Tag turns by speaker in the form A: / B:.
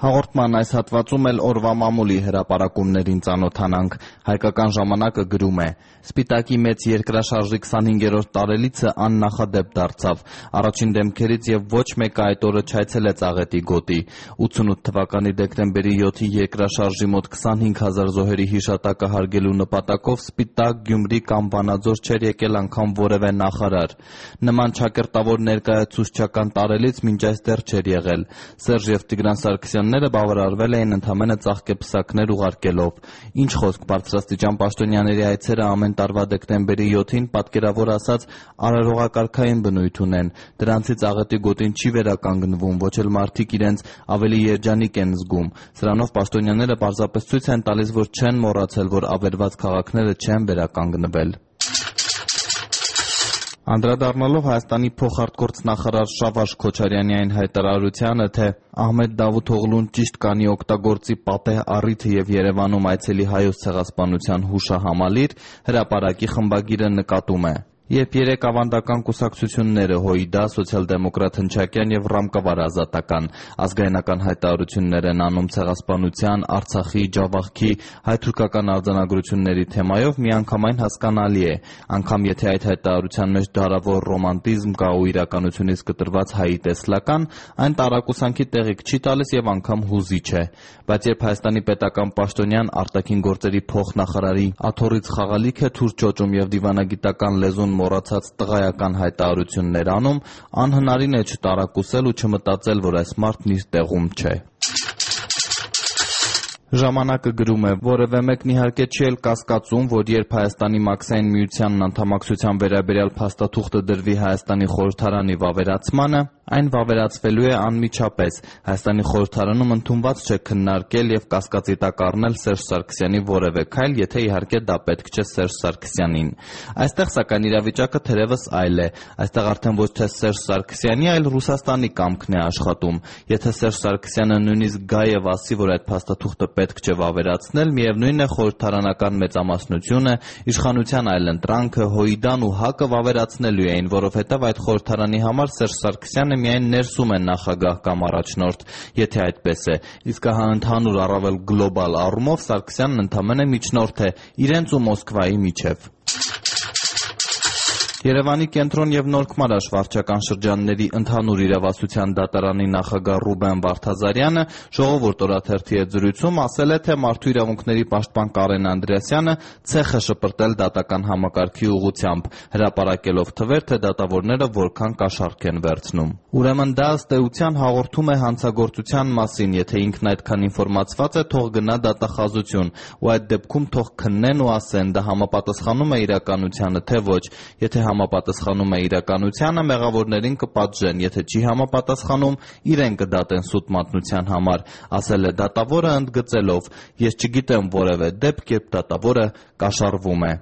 A: Հաղորդման այս հատվածում էլ օրվա մամուլի հրապարակումներին ծանոթանանք։ Հայկական ժամանակը գրում է. Սպիտակի մեծ երկրաշարժի 25-րդ տարելիցը աննախադեպ դարձավ։ Առաջին դեմքերից եւ ոչ մեկը այդ օրը չայցելեց Աղետի գոտի։ 88 թվականի դեկտեմբերի 7-ի երկրաշարժի մոտ 25,000 զոհերի հիշատակը հարգելու նպատակով Սպիտակ, Գյումրի կամ Վանաձոր չէր եկել անգամ որևէ նախարար։ Նման ճակերտավոր ներկայացուցչական տարելից մինչ այստեղ չէր եղել։ Սերժ եւ Տիգրան Սարգսյանները բավարարվել էին ընդամենը ծաղկեպսակներ ուղարկելով։ Ինչ խոսք, բարձրաստիճան պաշտոնյաների այցերը ամեն տարվա դեկտեմբերի 7-ին պատկերավոր ասած արարողակարգային բնույթ ունեն։ Դրանցից Աղետի գոտին չի վերականգնվում, ոչ էլ մարդիկ իրենց ավելի երջանիկ են զգում։ Սրանով պաշտոնյաները պարզապես ցույց են տալիս, որ չեն մոռացել, որ ավերված քաղաքները չեն վերականգնվել։ Անդրադառնալով Հայաստանի փոխարտգործնախարար Շավարժ Քոչարյանի այն հայտարարությանը, թե Ահմեդ Դավութօղլուն ճիշտ կանի օգտագործի պատեհ առիթը եւ Երևանում այցելի հայոց ցեղասպանության հուշահամալիր, հրապարակի խմբագիրը նկատում է. Երբ երեք ավանդական կուսակցությունները ՀՅԴ, Սոցիալ-դեմոկրատ Հնչակյան եւ Ռամկավար Ազատական ազգայնական հայտարարություններ են անում ցեղասպանության, Արցախի, Ջավախքի, հայ-թուրքական արձանագրությունների թեմայով, միանգամայն հասկանալի է, անգամ եթե այդ հայտարարության մեջ դարավոր ռոմանտիզմ կա ու իրականությունից կտրված հայի տեսլական, այն տարակուսանքի տեղիք չի տալիս եւ անգամ հուզիչ է։ Բայց երբ Հայաստանի պետական պաշտոնյան արտաքին գործերի փոխնախարարի աթոռից խաղալիք է թուր ճոճում եւ դիվանագիտական լեզուն մոռացած տղայական հայտարարություններ անում, անհնարին է չտարակուսել ու չմտածել, որ այս մարդն իր տեղում չէ։ Ժամանակը գրում է. որևէ մեկն իհարկե չի էլ կասկածում, որ երբ Հայաստանի Մաքսային միությանն անդամակցության վերաբերյալ փաստաթուղթը դրվի Հայաստանի խորհրդարանի վավերացմանը, այն վավերացվելու է անմիջապես։ Հայաստանի խորհրդարանում ընդունված չէ քննարկել եւ կասկածի տակ առնել Սերժ Սարգսյանի որևէ քայլ, եթե իհարկե դա պետք չէ Սերժ Սարգսյանին։ Այստեղ սակայն իրավիճակը թերևս այլ է։ Այստեղ արդեն ոչ թե Սերժ Սարգսյանի, այլ Ռուսաստանի կամքն է աշխատում։ Եթե Սերժ Սարգսյանը նույնիսկ գա եւ ասի, որ այդ փաստաթուղթը պետք չէ վավերացնել, միևնույն է խորհրդարանական մեծամասնությունը, իշխանության այլընտրանքը, ՀՅԴ-ն ու ՀԱԿ-ը վավերացնելու էին, որովհետև այդ խորհրդարանի համար Սերժ Սարգսյանը միայն ներսում է նախագահ կամ առաջնորդ, եթե այդպես է, իսկ հա ընդհանուր առավել գլոբալ առումով Սարգսյանն ընդամենը միջնորդ է իրենց ու Մոսկվայի միջև։ Երևանի կենտրոն եւ Նորքմարաշ վարչական շրջանների ընդհանուր իրավասության դատարանի նախագահ Ռուբեն Վարդազարյանը Ժողովուրդ օրաթերթի հետ զրույցում ասել է, թե մարդու իրավունքների պաշտպան Կարեն Անդրեասյանը ցեխ է շպրտել դատական համակարգի ուղղությամբ, հրապարակելով թվեր, թե դատավորները որքան կաշառք են վերցնում։ Ուրեմն դա ըստ էության հաղորդում է հանցագործության մասին, եթե ինքն այդքան ինֆորմացված է, թող գնա դատախազություն, ու այդ դեպքում թող քննեն ու ասեն, դա համապատասխանում է իրականությանը, թե ոչ, եթե համապատասխանում է իրականությանը, մեղավորներին կպատժեն, եթե չի համապատասխանում, իրեն կդատեն սուտ մատնության համար, ասել է դատավորը ընդգծելով. ես չգիտեմ որևէ դեպք, երբ դատավորը կաշառվում է։